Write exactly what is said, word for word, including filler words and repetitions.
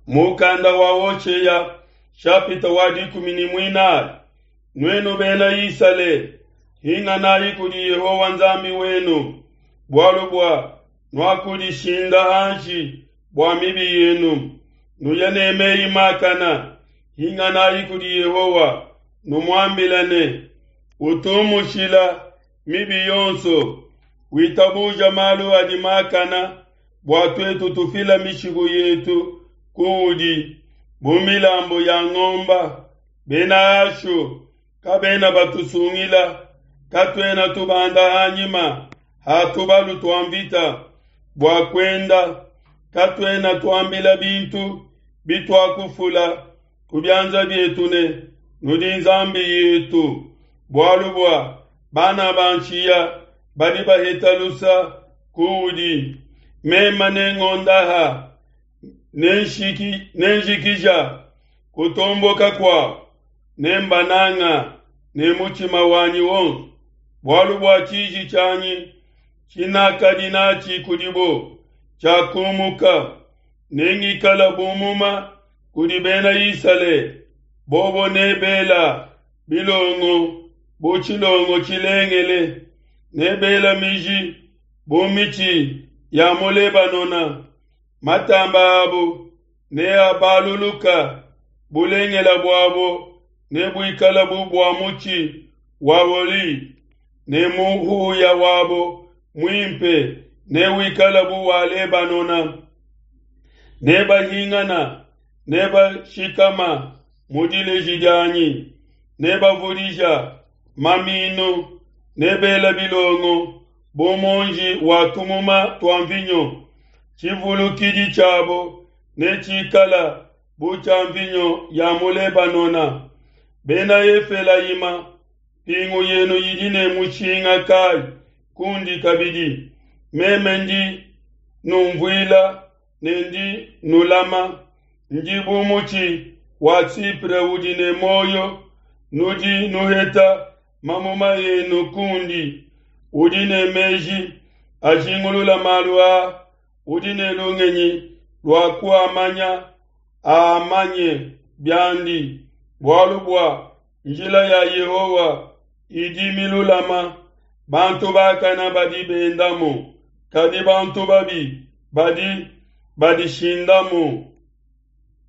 Mukanda wa Hoshea shapita wa dikumi ne muinayi. Nuenu bena Isalele, hinganayi kudi Yehowa Nzambi wenu, bualu bua nuakudishinda hanshi bua mibi yenu. Nuye ne meyi makana, hinganayi kudi Yehowa, numuambile ne, utumushila mibi yonso, witabuja malu adi makana, bua tuetu tufila mishiku yetu kuudi bu milambu ya ngomba. Bena Ashu kabena batusungila, katuena tubanda hanyima ha tubalu tua mvita bua kuenda, katuena tuambila bintu bituakufula ku bianza bietu ne, nudi nzambi yetu, bualu bua bana ba nshiya badi baheta lusa kuudi. Mema nengondaha nenshiki nenjikija kutomboka kuabo, nembananga ne mutshima wanyi wonso, bualu bua tshiji tshianyi tshinakadi natshi kudibo tshiakumuka. Nengikala bu muma kudi bena Isalele, bobo nebela bilongo bu tshilongo tshilengele, nebela miji bu mitshi ya mu Lebanona. Matamba abo neabaluluka, bulengela buabo nebuikala bu bua mutshi wa olive, ne muhuya wabo muimpe newikala bu wa Lebanona. Nebahingana, nebashikama mu dileji dianyi, nebavudija maminu, nebela bilongo bu muonji wa tumuma tua mvinyo. Tshivulukidi tshiabo netshikala bu tshia mvinyo ya mu Lebanona. Bena Efelayima, mpingu yenu idi ne mushinga kayi kundi kabidi? Meme ndi numvuila ne ndi nulama, ndi bu mutshi wa Sipre udi ne muoyo, nudi nuheta mamuma enu kundi. Udi ne meji ajingulula malu aa, udi ne lungenyi lua kuamanya, aamanye biandi, bualu bua njila ya Yehowa idi milulama, bantu bakana badi bendamu, kadi bantu babi badi badishindamu.